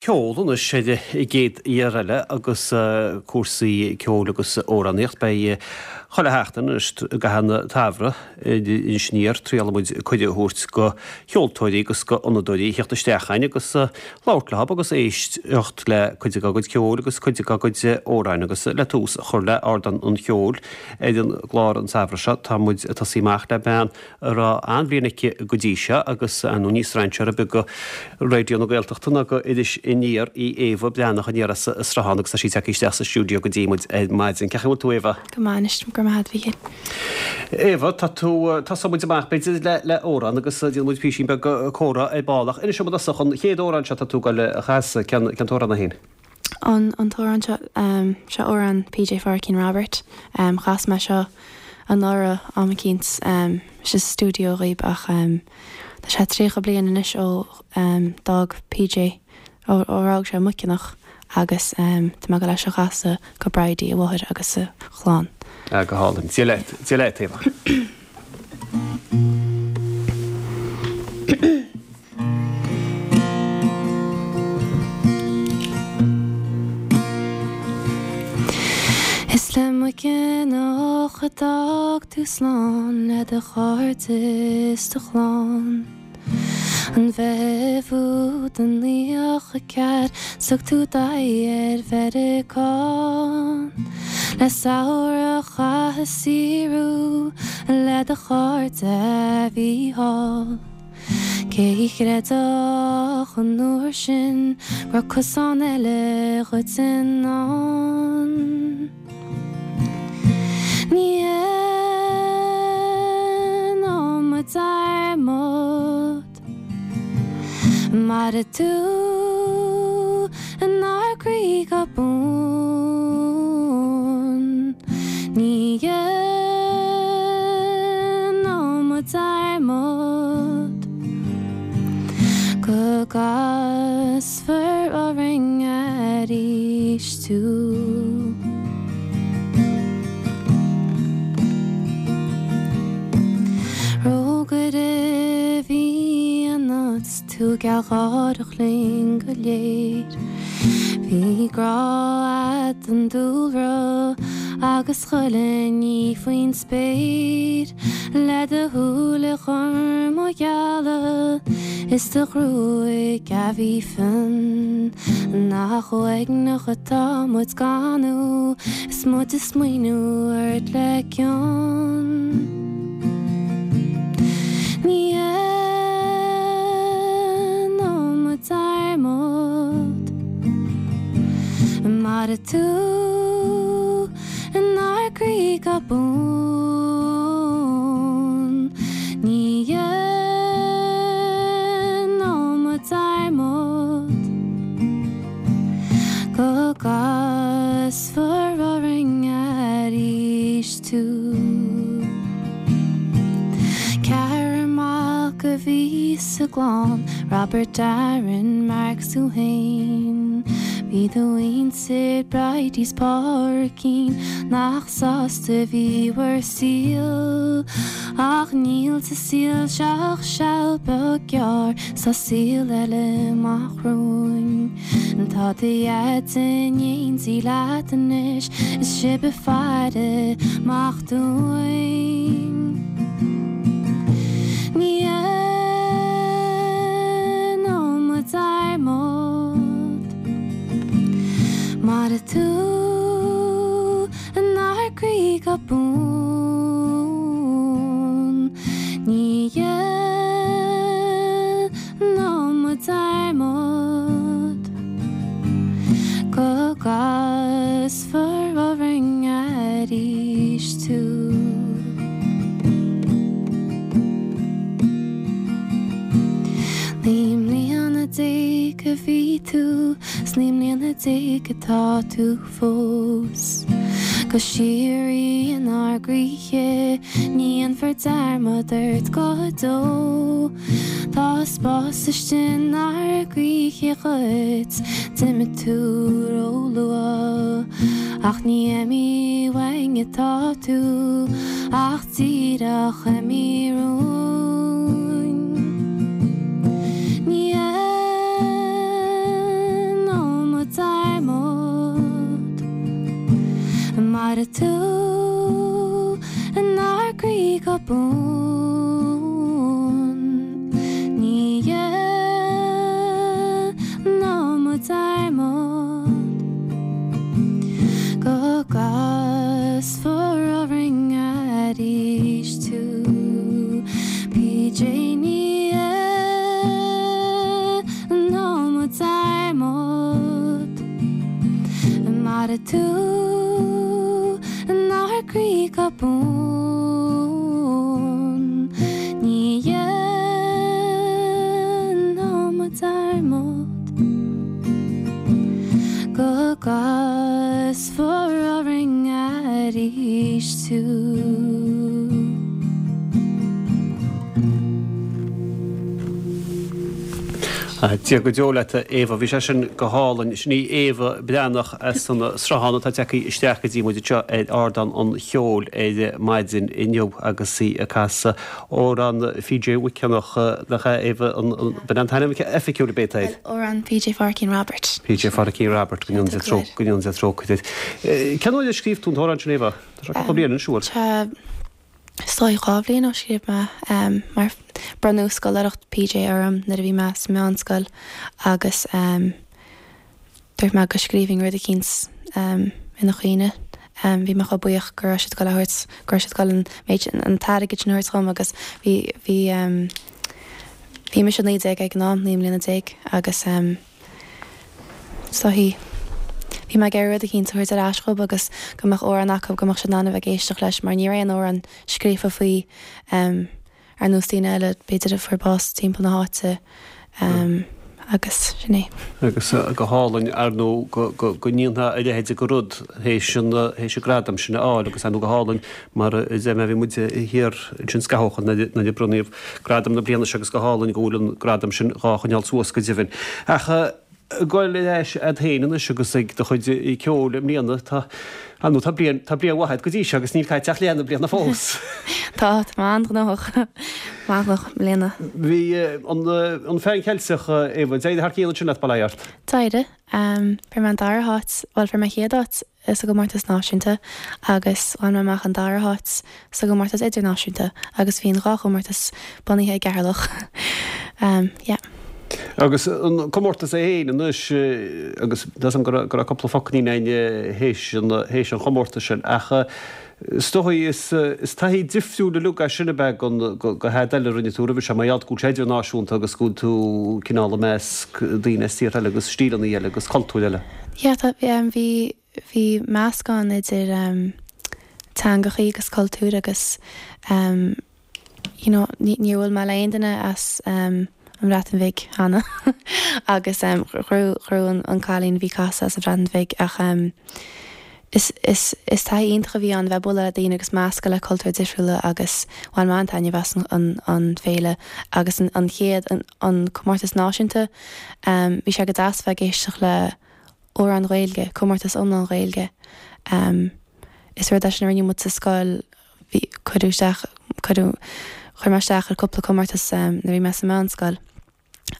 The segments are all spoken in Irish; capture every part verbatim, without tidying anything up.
Ceol anois ar an gcéad fhear eile agus cúrsaí ceoil agus amhránaíocht. Beidh chuile sheachtain anois i gcaitheamh an tsamhraidh ar Iris Aniar triailfidh muid cuireadh a thabhairt go cheoltóirí agus go fhonnadóirí a theacht isteach chugainn agus labhairt leo agus éisteacht le cuid dá gcuid ceoil agus cuid dá gcuid amhráin agus le tús a chur le Ardán an Cheoil ar an gclár an samhradh seo tá muid ag tosaí amach le bean a raibh an-bhliain aici go dtí seo agus nó ní strainséir ar bith go Raidió na Gaeltachta ná go Iris Aniar í Éabha Breathnach aniar as an Sruthán agus tá sí tagtha isteach sa stiúideo go dtí muid ar maidin. Cén chaoi a bhfuil tú Éabha? Go maith anois go maith a Mhíchíl. Éabha tá tú tosóidh muid amach b'fhéidir le le amhrán agus déanfaidh muid píosín beag comhrá ar ball ach inis dom i dtosach an chéad amhrán seo tá tú ag dul a chasadh cén cén t-amhrán é féin? An an t-amhrán seo um, seo amhrán PJ Phádraicín Robert um, chas mé seo anuraidh am eicínt um, sa stiúideo dhaoib ach um, tá sé tríocha bliain anois ó um, d'fhág PJ ó ó rug sé Muiceanach agus um, tá mé ag dul é seo a chasadh go Bridie a mháthair agus a chlann. Ah, go hálainn. Dia leat Dia leat Éabha. Is le Muiceanach a d'fhág tú slán le do chairde is do chlann. An Mheitheamh úd i naocha ceathair 's thug tú d'aghaidh ar Mheiriceá. Le samhradh a chaitheamh ag saothrú le do chairde a bhí thall. Cé a chreidfeadh an uair sin go raibh cosán eile dhuit i ndán. Ní dhéanfaidh muid dearmad Mairfidh tú inár gcroí go buan Ní dhéanfaidh muid dearmad Go gcasfar orainn arís tú. Rógaire a bhí ionat 's tú gealgháireach linn go léir. Bhí grá a'd don dúlra agus chuile ní faoin spéir. Le do shúile gorma geala is do ghruaig a bhí fionn. Nach uaigneach atá muid gan thú is muid ag smaoineamh ort le cion. Ní dhéanfaidh muid dearmad Mairfidh tú inár gcroí go buan Ní dhéanfaidh muid dearmad Go gcasfar orainn arís tú. Ceathrar mac a bhí sa gclann, Robert, Darren, Mark 's tú fhéin. Bhí do mhuintir, Bridie 's Pádraicín, nach sásta a bhí bhur saol. Ach níl sa saol seo ach seal beag gearr, 's tá saol eile amach romhainn. Tá do Dhaid in éindí leat anois, is sibh ag faire amach dúinn. Ní dhéanfaidh muid dearmad Mairfidh tú inár gcroí go buan Ní dhéanfaidh muid dearmad Go gcasfar orainn arís tú. Naoi mbliana déag a bhí tú, 's naoi mbliana déag atá tú fós. Go síoraí inár gcroíthe, ní dhéanfar dearmad ort go deo. Tá spás istigh inár gcroíthe dhuit, d'imigh tú ró-luath. Ach ní imithe uainn atá tú, ach díreach imithe romhainn. Ní Mairfidh tú inár gcroí go buan. Ní dhéanfaidh muid dearmad go gcasfar orainn arís tú. PJ ní dhéanfaidh muid dearmad. Mairfidh tú inár gcroí go buan. Ní dhéanfaidh muid dearmad go gcasfar orainn arís tú. Dia go deo leat, a Éabha. Bhí sé sin go hálainn. Sin í Éabha Breathnach as an Sruthán atá tagtha isteach go dtí muid anseo ar Ardán an Cheoil ar maidin inniu agus í ag casadh amhrán PJ Mhic Eanach, nach ea, Éabha, b'in an t-ainm oifigiúil ab é air? Amhrán PJ Phádraicín Roibeaird. PJ Phádraicín Roibeaird, go ndéana Dia go ndéana Dia trócaire air. Cén uair a scríobh tú an t-amhrán sin, Éabha? Tá sé cúpla bliain anois, an bhfuil? Tá. Is dóigh dhá bhliain ó scríobh mé mar bronnadh scoláireacht PJ orm nuair a bhí mé sa meánscoil agus dúirt mé go scríobhfainn rud eicínt ina chuimhne. Bhí mé chomh buíoch go raibh siad ag dul a thabhairt, go raibh siad ag dul an méid, an t-airgead sin a thabhairt dhom agus bhí, bhí, bhí mise naoi déag ag an am, naoi mbliana déag agus so bhí bhí mé ag iarraidh rud eicínt a thabhairt ar ais dhób agus go mbeadh amhrán acu go mbeadh siad in ann a bheith ag éisteacht leis mar ní raibh aon amhrán scríofa faoi ar nós daoine eile b'fhéidir a fuair bás timpeall na háite agus sin é. Agus go hálainn ar ndóigh go go go ndéanfá a leithéid de rud théis an théis an gradam sin a fháil agus ar ndóigh go hálainn mar a deir mé bhí muid thiar ansin scaitheamh ó shin nuair a bronnadh gradam na bliana seo agus go hálainn go bhfuil an gradam sin dhá choinneáil suas go deimhin. Ach ag goil ar ais a'd féin anois agus ag do chuid ceoil i mbliana, tá, ar ndóigh tá bliain, tá bliain mhaith a'd go dtí seo agus níl caite ach leath na bliana fós. Tá, tá mé an-ghnóthach, mé an-ghnóthach i mbliana. Bhí an, an Pheann Cheilteach, Éabha, d'éirigh thar cionn ansin leat, bail ó Dhia ort. D'éirigh. Fuair mé an dara háit, bhuel fuair mé chéad áit sa gcomórtas náisiúnta agus bhain mé amach an dara háit sa gcomórtas idirnáisiúnta agus bhí an dhá chomórtas bunaithe i gCeatharlach. Yeah. Agus an comórtas é féin anois, agus tá 'fhios a'm go raibh cúpla focailín againn théis an théis an chomórtais sin, ach is dóigh is is taithí difriúil uilig é sin ab ea don go tada eile a rinne tú roimhe seo, mar gheall go bhfuil sé idirnáisiúnta agus go bhfuil tú cineál i measc daoine as tíortha eile agus stíleanna eile agus cultúir eile. Yeah, tá, bhí bhí meascán idir teangachaí agus cultúir agus you know níor bhuail mé le aon duine as an Bhreatain Bhig cheana agus ghnóthaigh an cailín a bhí ag casadh as an Bhreatain Bhig ach is is is taithí iontach a bhí ann bheith bualadh le daoine agus meascadh le cultúir difriúla agus bhain mé an-taitneamh as an an féile agus an an chéad an an comórtas náisiúnta bhí sé go deas bheith ag éisteacht le amhráin Ghaeilge, comórtas iomlán Ghaeilge. Is rud é sin a rinne muid sa scoil, bhí, cuireadh isteach, cuireadh, chuir mé isteach ar cúpla comórtas nuair a bhí mé sa mheánscoil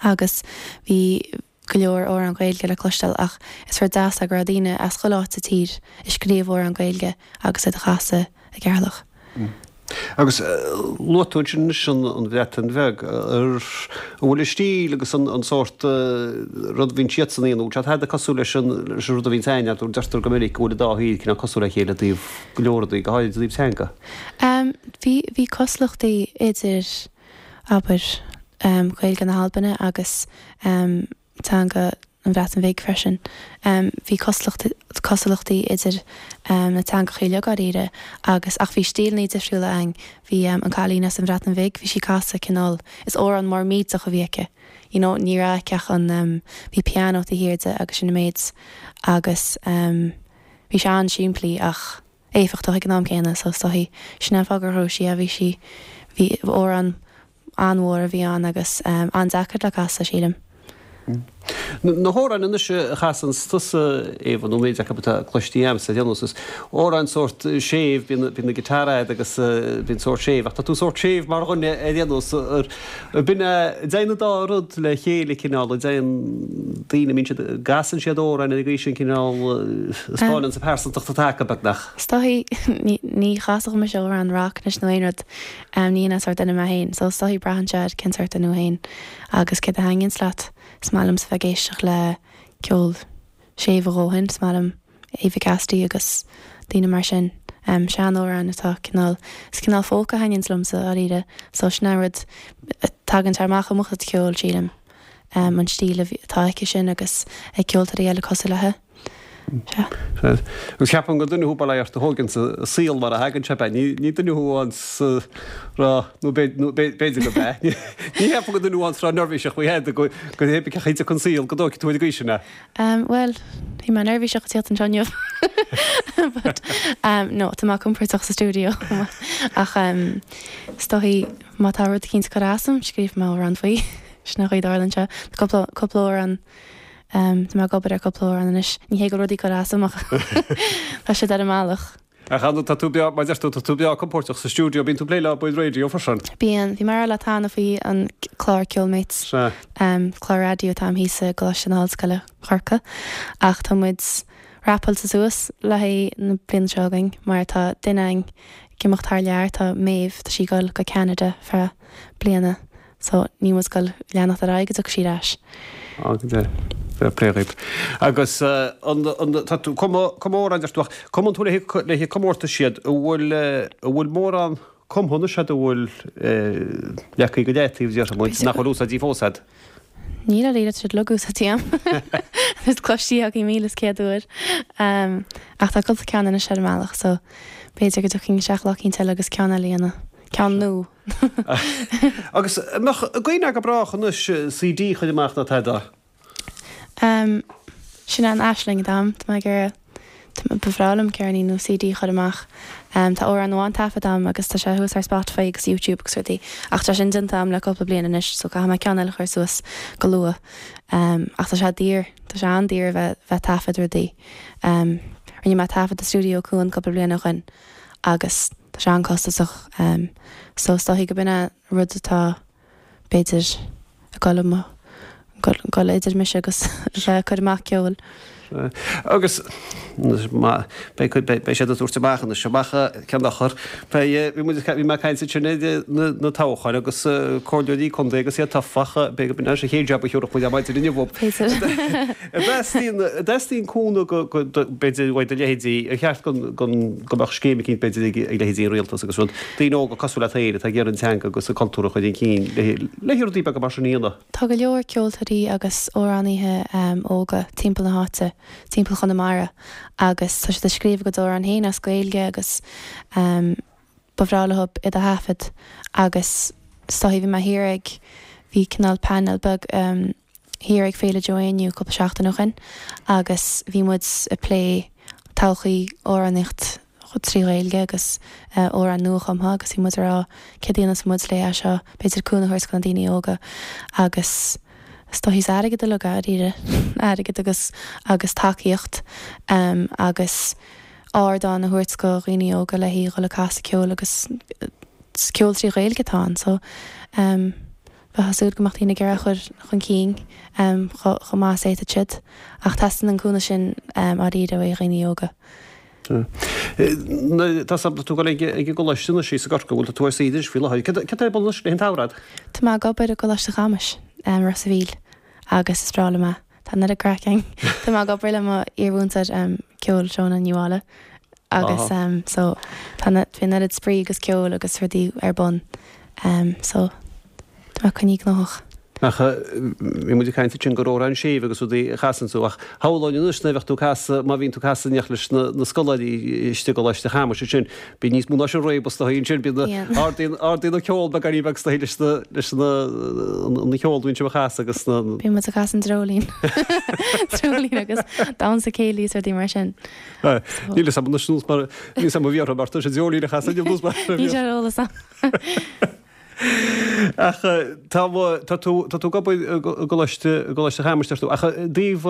agus bhí go leor amhrán Gaeilge le cloisteáil ach is rud deas é go raibh daoine as chuile áit sa tír ag scríobh amhrán Gaeilge agus iad a chasadh i gCeatharlach. Agus luaigh tú ansin anois an Bhreatain Bheag. An bhfuil an stíl agus an sórt rud a bhíonn siadsan a dhéanamh, an bhfuil sé tada cosúil leis an rud a bhíonns againn, deirtear go minic go bhfuil an dá thír cineál cosúil le chéile i dtaobh go leor rudaí, go háirid i dtaobh teanga? Bhí, bhí cosúlachtaí idir, abair, Gaeilge na hAlban agus teanga an Bhreatain Bhig freisin. Bhí cosúlachtaí idir na teangacha uilig dáiríre agus ach bhí stíleanna difriúla againn. Bhí an cailín as an Bhreatain Bhig, bhí sí ag casadh cineál, is amhrán mór millteach a bhí aici. You know, ní raibh aici ach an, bhí pianó taobh thiar di agus sin an méid agus bhí sé an-simplí ach éifeachtach ag an am céanna so is dóichí sin é an fáth gur ghnóthaigh sí é, bhí sí, bhí amhrán an-mhór a bhí ann agus an-deacair le casadh, sílim. Na hamhráin anois a chasann tusa Éabha nó méid acu atá cloiste agamsa déanús is amhráin sórt séimh bíonn bíonn na guitar agat agus bíonn sórt séimh ach tá tú sórt séimh mar dhuine ar déanús bíonn dtéann an dá rud le chéile cineál a dtéann daoine mbíonn siad gcasann siad amhráin ar an gcaoi sin cineál spáineann sa pearsantacht atá acu beagnach. Is dóichí ní ní chasfadh mise amhrán rock anois nó aon rud ní hin an sórt duine mé féin so is dóichí braitheann sé ar cén sórt duine thú féin agus céard a thaitníonns leat. Is maith liomsa bheith ag éisteacht le ceol séimh a dhóthain, is maith liom Eva Cassidy agus daoine mar sin. Um, seanamhráin atá cineál is cineál folk a thaitníonns liomsa dáiríre, so sin an rud tagann sé amach i mo chuid ceoil sílim. Um, an stíl atá aici sin agus ag ceoltóirí eile cosúil léi. Sea. Agus ceapaim gur duine thú bail ó Dhia ort a thógann an saol mar a thagann sé be. Ní ní duine thú an rá nó b'fhéidir go be. Ní cheapaim gur duine thú an rá neirbhíseach faoi head go go hé chaite chun saol go dtóigfidh tú ar an gcaoi sin é. Um, well, bhí mé neirbhíseach ag tíocht anseo inniu. But um, no, tá mé compordach sa stiúideo. Ach um, is dóichí má tá rud eicínt ag cur asam, scríobh mé amhrán faoi. Sin an chaoi a dtarlaíonn sé. Tá cúpla cúpla amhrán um, tá mé ag obair ar cúpla amhrán anois. Ní hé go rudaí cur asam ach tá siad ar an mbealach. Ach an tá tú breá mar deir tú tá tú breá compordach sa stiúideo bíonn tú ag plé le Bord Raidió freisin. Bíonn, bhí mé le tamall faoi an clár Ceolmates. Sea. Um, clár raidió atá thíos i gColáiste na hOllscoile Corcaigh ach tá muid rapáilte suas le haghaidh na bliana seo againn mar tá duine againn ag imeacht thar lear tá Maeve tá sí ag dul go Ceanada feadh bliana so níl muid ag dul leanacht ar aghaidh go dtiocfaidh sí ar ais. Á go deimhin. Fair play dhaoib. Agus uh, an, an, tá tú comóran deir tú ach cumann tú le le comórtas siad a bhfuil a bhfuil mórán cumtha anois agat a bhfuil leagtha go leataobh déarfaidh muid nach bhfuil úsáidte fós agat. Níl a líle siad lugú sa tíam. Is cloistí agaí míle is céad uair. Um, ach tá cúpla ceann anois ar an mbealach, so b'fhéidir go dtiocfainn isteach lá eicínt eile agus ceann eile a dhéanamh. Ceann nua. Agus mbeadh gaoine go brách anois CD a chur amach nó tada. Um, sin an aisling dam, Tá mé ag iarraidh ba bhreá liom ceirnín nó CD a chur amach. Um, tá amhrán amháin taifeadta agam agus tá sé thuas ar Spotify agus YouTube agus rudaí. Ach tá sin déanta agam le cúpla bliain anois, so caithfidh mé ceann eile a chur suas go luath. Um, ach tá sé daor, tá sé an-daor bheith bheith taifead rudaí. Um, rinne mé taifead i stiúideo Cuan cúpla bliain ó shin agus tá sé an-chostasach. Um, so is dóichí go b'in é rud atá b'fhéidir ag dul mo dul idir mise agus bheith cur amach ceol. Agus beidh siad ag tabhairt amach anois amach ceann achar bhí bhí mé ag caint sin na toghcháin agus comhairleoirí contae agus iad tofa b'fhéidir go sé chéad jab a thiúrach muid maidin inniu. Dteastaíonn cúnamh b'fhéidir uaidh do leithéidí ar cheart go mbeadh scéim eicínt b'fhéidir ag leithéidí an rialtas agus rud daoine óga cosúil leat féin atá ag iarraidh an teanga agus an cultúr a chur chun cinn le rudaí beaga mar sin a dhéanamh. Tá go leor ceoltóirí agus amhránaithe um, óga timpeall na háite, timpeall Chonamara agus tá siad ag scríobh go dór an féin as Gaeilge agus um, ba bhreá leo iad a thaifead agus stá bhí mé thiar ag bhí cineál panel beag um, thiar ag Féile Joe Éinniú cúpla seachtain ó shin agus bhí muid ag plé todhchaí amhránaíocht trí Ghaeilge agus uh, amhráin nuachumtha agus bhí muid ag rá céard a dhéanfas muid le é seo b'fhéidir cúnamh a thabhairt do na daoine óga agus is dóichí airgead le dáiríre airgead agus agus tacaíocht um, agus ardán a thabhairt do dhaoine óga le haghaidh dul ag casadh ceol agus ceol trí Ghaeilge atá ann so um, bheifeá ag súil go mbeadh daoine ag iarraidh chur chun cinn um, chomh maith is atá siad ach teastaíonn an cúnamh sin um, dáiríre ó dhaoine óga. Tá sampla tú ag ag gcoláiste na sí sa Gort go bhfuil tú ar saoire faoi láthair. Cad é bun le an tsamhradh? Tá mé ag obair i gColáiste Chamais um, Ros an Mhíl agus is breá liom é. Tá na craic ann. Tá mé ag obair le mo iarmhúinteoir um, ceoil Shona Ní Mháille agus um, so tá bhí an oiread spraoi agus ceol agus rudaí ar bun um, so tá mé coinnithe gnóthach. Ach bhí muid ag caint sin gur amhráin séimh agus rudaí a chasann tú ach shamhlóinn anois nuair a bheadh tú casadh má bhíonn tú casadh neach leis na na scoláirí istigh i gColáiste Chamais sin bí níos mó ná sin réabas do sin bí ardaíonn ardaíonn na ceol beagáinín beag sna leis na leis na na ceol bíonn sibh a chasadh agus na Bíonn muid ag casadh an dreoilín. Dreoilín agus damhsa céilí is rudaí mar sin. Níl a fhios agam anois mar níl a fhios agam a bhí orthu mar tá sé dreoilín a chasadh níl nós mar Ní sé eolas agam. Ach tá tá tú tá tú ag obair i gColáiste i gColáiste Chamuis deir tú ach i dtaobh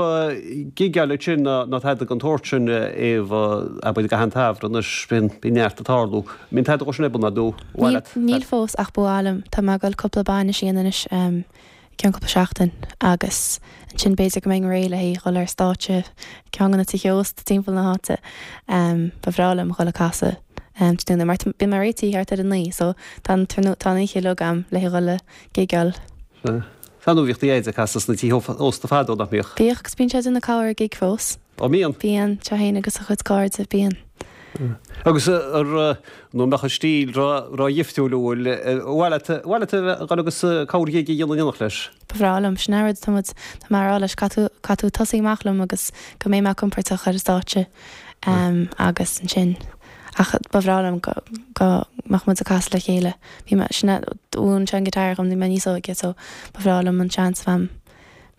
gigeáil sin ná ná tada den tsórt sin Éabha abair i gcaitheamh an tsamhraidh anois bíonn bíonn neart ag tarlú. Mbíonn tada dhó sin ar bun ná nó Níl níl fós ach ba mhaith liom. Tá mé ag dul cúpla bainis a dhéanamh anois i gceann cúpla seachtain agus ansin b'fhéidir go mbeinn réidh le haghaidh dhul ar stáitse ceann de na tithe ósta timpeall na háite. Ba bhreá liom dhul ag casadh tráthnóna mar bíonn mé réitithe thart ar a naoi so tá an tá an oíche uilig agam le haghaidh dhul ag gigeáil. Sea. Sea nó bhíodh do dhaid ag casadh sna tithe ósta fadó, nach mbíodh? Bhíodh agus bíonn sé ag déanamh corr gig fós. Ó mbíonn? Bíonn, sé féin agus a chuid cairde, bíonn. Agus ar nó mbeadh a stíl ró-dhifriúil uail, ar mhaith leat, ar mhaith leat a bheith dhul agus corr ghig a dhéanamh in éineacht leis? Ba bhreá liom, sin an rud atá muid, tá mé a rá leis, caithfidh tú, caithfidh tú tosaí amach liom agus go mbeidh mé compordach ar an stáitse agus ansin, ach ba bhreá liom go, go mbeadh muid ag casadh le chéile. Bhí mé, sin é, mhúin sé an guitar dhom, bhí mé níos óige so ba bhreá liom an seans a bheith a'm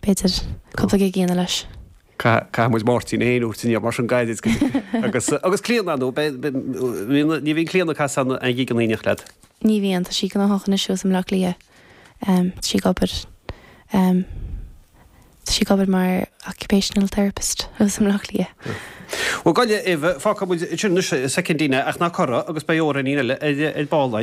b'fhéidir cúpla gig a dhéanamh leis. Caithfidh muid Máirtín féin a thabhairt aniar mar sin gairid agus agus Clíona nó ní bhíonn Clíona ag casadh aon ghig in éineacht leat? Ní bhíonn, tá sí gnóthach anois thuas i mBleá Cliath. Tá sí ag obair tá sí ag obair mar occupational therapist thuas i mBleá Cliath. Bhuel, gabh i leith, Éabha, fágfaidh muid ansin anois soicindín ach ná corra agus beidh amhráinín eile ar ball.